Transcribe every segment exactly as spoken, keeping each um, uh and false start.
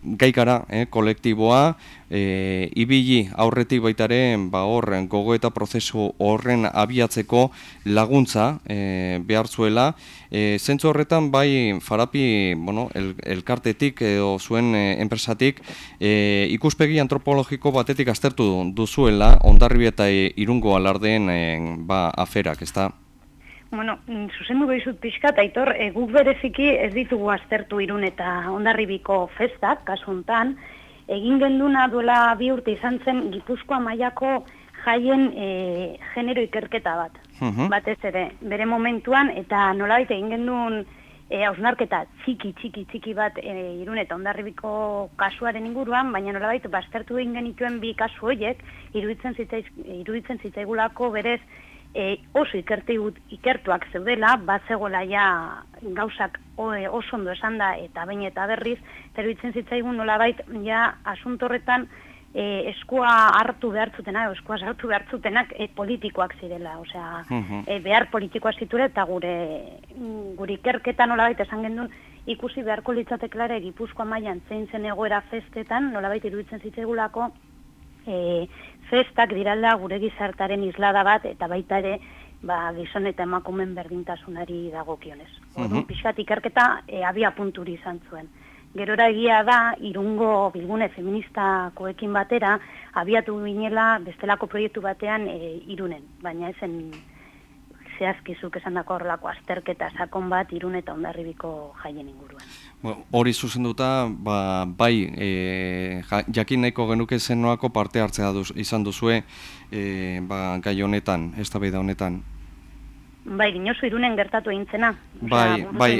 gaikara, eh, kolektiboa, e, ibili aurretik baitaren ba, horren gogo eta prozesu horren abiatzeko laguntza e, behar zuela. E, zentzu horretan bai Farapi bueno, el, elkartetik edo zuen e, enpresatik e, ikuspegi antropologiko batetik aztertu duzuela Hondarribia eta e, Irungo alardeen e, ba, aferak, ezta? Bueno, zuzendu behizut pixkat, Aitor, e, guk bereziki ez ditugu aztertu Irun eta Hondarribiko festak, kasuntan, egin genduna duela bi urte izan zen Gipuzkoa mailako jaien e, genero ikerketa bat, uh-huh. batez ere, bere momentuan, eta nolabait egin gendun e, hausnarketa txiki, txiki, txiki bat e, Irun eta Hondarribiko kasuaren inguruan, baina nolabait baztertu egin genituen bi kasu horiek, iruditzen zitzaiz, iruditzen zitzaigulako berez, E, oso ikerti, ikertuak zeudela, bat zegoela ja gauzak oso ondo esan da eta bain eta berriz, teruditzen zitzaigun nolabait ja asuntorretan e, eskua hartu behartzutenak, eskua hartu behartzutenak e, politikoak zirela, osea, uh-huh. e, behar politikoak ziture eta gure, gure ikerketa nolabait esan gendun ikusi beharko litzateklare Gipuzkoa mailan zein zen egoera festetan, nolabait iruditzen zitzaigulako E, festak diralda gure gizartaren islada bat eta baita ere ba, gizon eta emakumen berdintasunari dagokionez. Orduan, uh-huh. pixkat ikerketa e, abia punturi izan zuen. Gerora egia da, Irungo bilgune feministakoekin batera, abiatu ginela bestelako proiektu batean e, Irunen, baina ezen zehazkizuk esan dako horrelako azterketa sakon bat Irun eta Hondarribiko jaien inguruan. Hori zuzenduta, ba, bai, e, jakin nahiko genuke zenoako parte hartzea duz, izan duzue e, ba, gai honetan, eztabaida honetan. Bai, dinosu Irunen gertatu egintzena. Bai, bai,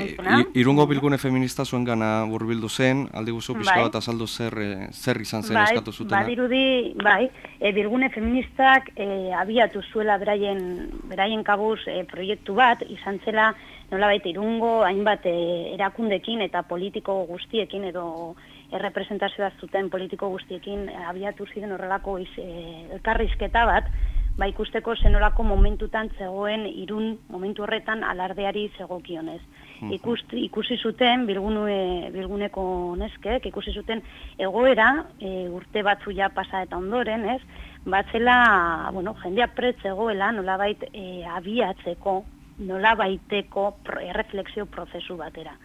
Irungo bilgune feminista zuen gana burbildu zen, aldi guzu pixka bat azaldu zer, zer izan zen bai, eskatu zutena. Bai, badirudi, bai, e, bilgune feministak e, abiatu zuela beraien, beraien kabuz e, proiektu bat, izan zela nolabait Irungo hainbat e, erakundekin eta politiko guztiekin edo errepresentazioa zuten politiko guztiekin abiatu ziren horrelako iz, e, elkarrizketa bat, ba ikusteko zenolako momentutan zegoen Irun momentu horretan alardeari zegokionez. Uh-huh. Ikusti, ikusi zuten bilgune, bilguneko neskek, ikusi zuten egoera e, urte batzu ja pasa eta ondoren, ez? Batzela, bueno, jendea prest zegoela nolabait e, abiatzeko, nolabaiteko erreflexio prozesu batera.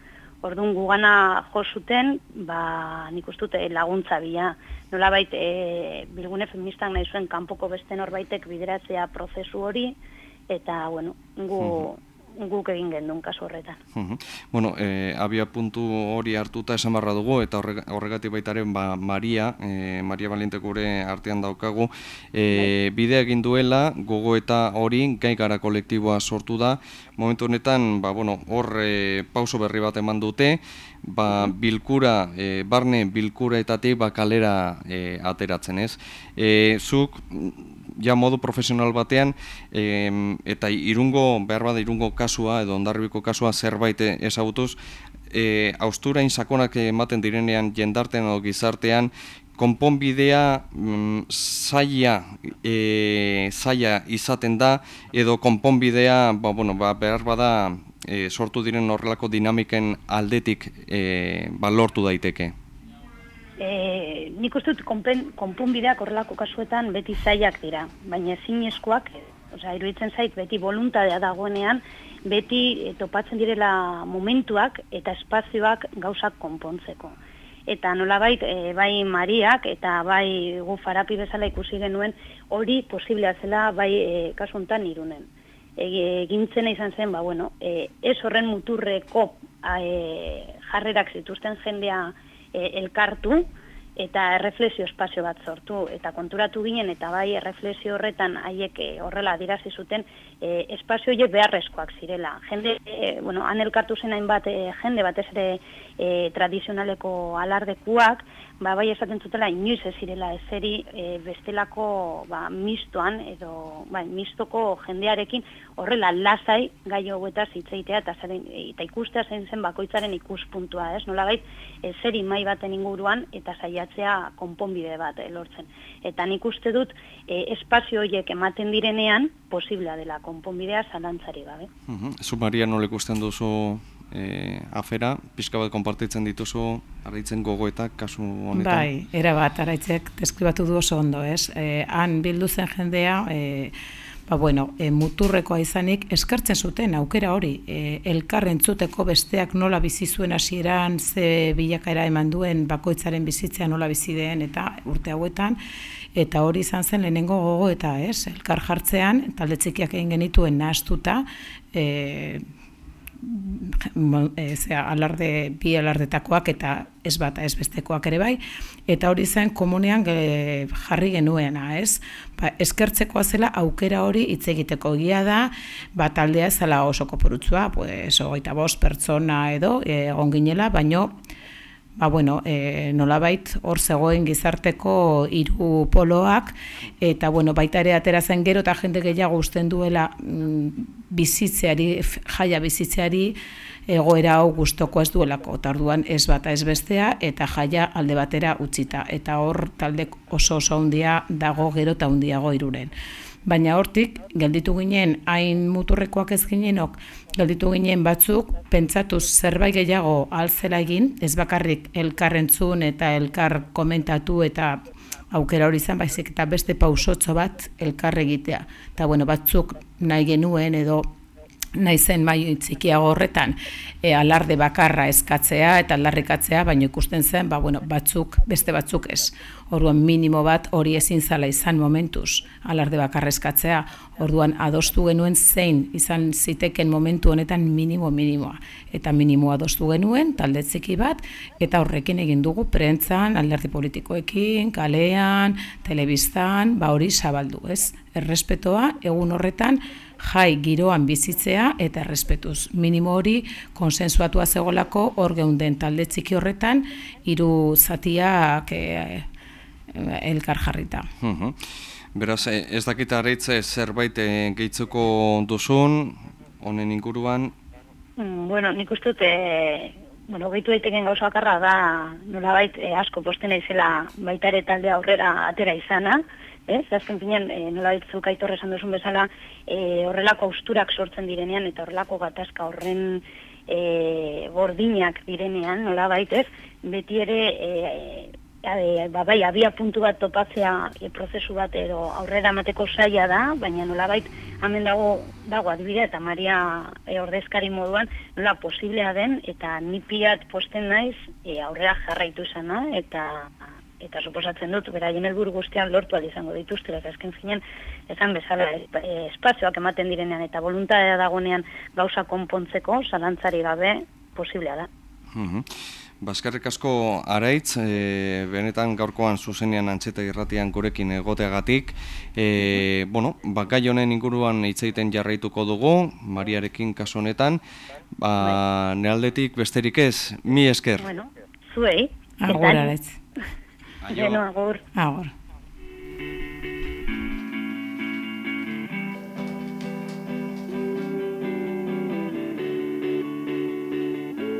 Orduan gugana jo zuten, ba, nik uste dut laguntza bila. Nolabait e, bilgune feministak nahi zuen kanpoko beste norbaitek bideratzea prozesu hori, eta, bueno, gu, uh-huh. guk egin gendun kasu horretan. Uh-huh. Bueno, e, abia puntu hori hartuta esan barra dugu, eta horregatik baitaren ba, Maria, e, Maria Valiente gure artean daukagu, e, bide egin duela, gogo eta hori, gai gara kolektiboa sortu da, momentu honetan, ba, bueno, hor e, pauso berri bat eman dute, ba, bilkura, e, barne bilkuraetatik ba, kalera e, ateratzen ez. E, zuk, ja modu profesional batean, e, eta Irungo, behar bada Irungo kasua, edo Hondarribiko kasua zerbait ezagutuz, e, hausturain sakonak ematen direnean jendartean edo gizartean, konponbidea mm, zaila, e, zaila izaten da, edo konponbidea ba, bueno, ba, behar bada e, sortu diren horrelako dinamiken aldetik e, ba, lortu daiteke. E, nik uste dut konponbideak horrelako kasuetan beti zailak dira, baina ezinezkoak, osea, iruditzen zait beti voluntadea dagoenean, beti e, topatzen direla momentuak eta espazioak gauzak konpontzeko. Eta nolabait, e, bai Mariak eta bai gu Farapi bezala ikusi genuen hori posiblea zela bai e, kasu honetan Irunen. Egintzena izan zen, ba, bueno, e, ez horren muturreko e, jarrerak zituzten jendea e, elkartu, eta erreflexio espazio bat sortu, eta konturatu ginen, eta bai erreflexio horretan haiek horrela adirazi zuten, e, espazio horiek beharrezkoak zirela. Jende, e, bueno, han elkartu zen hainbat e, jende batez ere e, tradizionaleko alardekuak, ba, bai esaten zutela inoiz ez zirela ezeri e, bestelako ba, mistoan, edo bai, mistoko jendearekin horrela lasai gai hauetaz hitzeitea eta, eta ikustea zein zen bakoitzaren ikuspuntua, ez? Nolabait ezeri mai baten inguruan eta saiatzea konponbide bat eh, lortzen. Eta nik uste dut eh, espazio horiek ematen direnean posiblea dela konponbidea zalantzari gabe. Uh-huh. Zu Maria nola ikusten duzu e, afera, pixka bat konpartitzen dituzu, Araitzen gogoetak kasu honetan? Bai, era bat, Araitzek deskribatu du oso ondo, ez? E, han bildu zen jendea, e, ba, bueno, e, muturrekoa izanik eskartzen zuten aukera hori, e, elkar entzuteko besteak nola bizi zuen hasieran, ze bilakaera eman duen bakoitzaren bizitzea nola bizi den eta urte hauetan, eta hori izan zen lehenengo gogo eta, ez? Elkar jartzean, talde txikiak egin genituen nahastuta, e, e, zera, alarde, bi alardetakoak eta ez bata ez bestekoak ere bai, eta hori zen komunean e, jarri genuena, ez? Ba, eskertzekoa zela aukera hori hitz egiteko egia da, ba, taldea ez zela oso kopurutzua, pues, hogeita bost pertsona edo e, egon ginela, baino ba, bueno, e, nolabait hor zegoen gizarteko hiru poloak, eta bueno, baita ere atera zen gero eta jende gehiago usten duela mm, bizitzeari, jaia bizitzeari egoera hau gustoko ez duelako, eta orduan ez bata ez bestea, eta jaia alde batera utzita, eta hor taldek oso oso handia dago gero eta handiago Irunen. Baina hortik, gelditu ginen, hain muturrekoak ez ginenok, gelditu ginen batzuk, pentsatuz zerbait gehiago altzela egin, ez bakarrik elkar entzun eta elkar komentatu eta aukera hori izan, baizik eta beste pausotxo bat elkar egitea. Eta bueno, batzuk nahi genuen edo nahi zen mai txikiago horretan e, alarde bakarra eskatzea eta aldarrikatzea, baina ikusten zen, ba, bueno, batzuk, beste batzuk ez. Orduan minimo bat hori ezin zala izan momentuz alarde bakarra eskatzea. Orduan adostu genuen zein izan ziteken momentu honetan minimo minimoa. Eta minimo adostu genuen talde txiki bat, eta horrekin egin dugu prentzan, alderdi politikoekin, kalean, telebistan, ba hori zabaldu, ez? Errespetoa egun horretan jai giroan bizitzea eta errespetuz. Minimo hori konsensuatua zegolako hor geunden talde txiki horretan hiru zatiak e, elkar jarrita. Uh-huh. Beraz, ez dakit Araitze zerbait gehitzeko duzun, honen inguruan? Mm, bueno, nik uste dut, e, bueno, gehitu daiteken gauza bakarra da, nolabait e, asko posten izela baita ere talde aurrera atera izana, ez? Azken finean, e, nolabait zuk Aitor esan duzun bezala, e, horrelako austurak sortzen direnean eta horrelako gatazka horren e, gordinak direnean, nolabait, ez? Beti ere, e, e, ba, bai, abia puntu bat topatzea e, prozesu bat edo aurrera emateko zaila da, baina nolabait hemen dago, dago adibidea eta Maria e, ordezkari moduan nola posiblea den eta ni piat posten naiz e, aurrera jarraitu izana eta eta suposatzen dut, beraien helburu guztian lortu ahal izango dituztela, eta azken finean, esan bezala, e, espazioak ematen direnean eta voluntatea dagonean gauza konpontzeko, zalantzari gabe, posiblea da. Uh-huh. Baskarrik asko Araitz, e, benetan gaurkoan zuzenean Antxeta Irratian gurekin egoteagatik. E, bueno, bakai honen inguruan hitz egiten jarraituko dugu, Mariarekin kasu honetan. Ba, nealdetik besterik ez, mi esker. Bueno, zuei. Agur, Araitz. Geno, agur. Agur.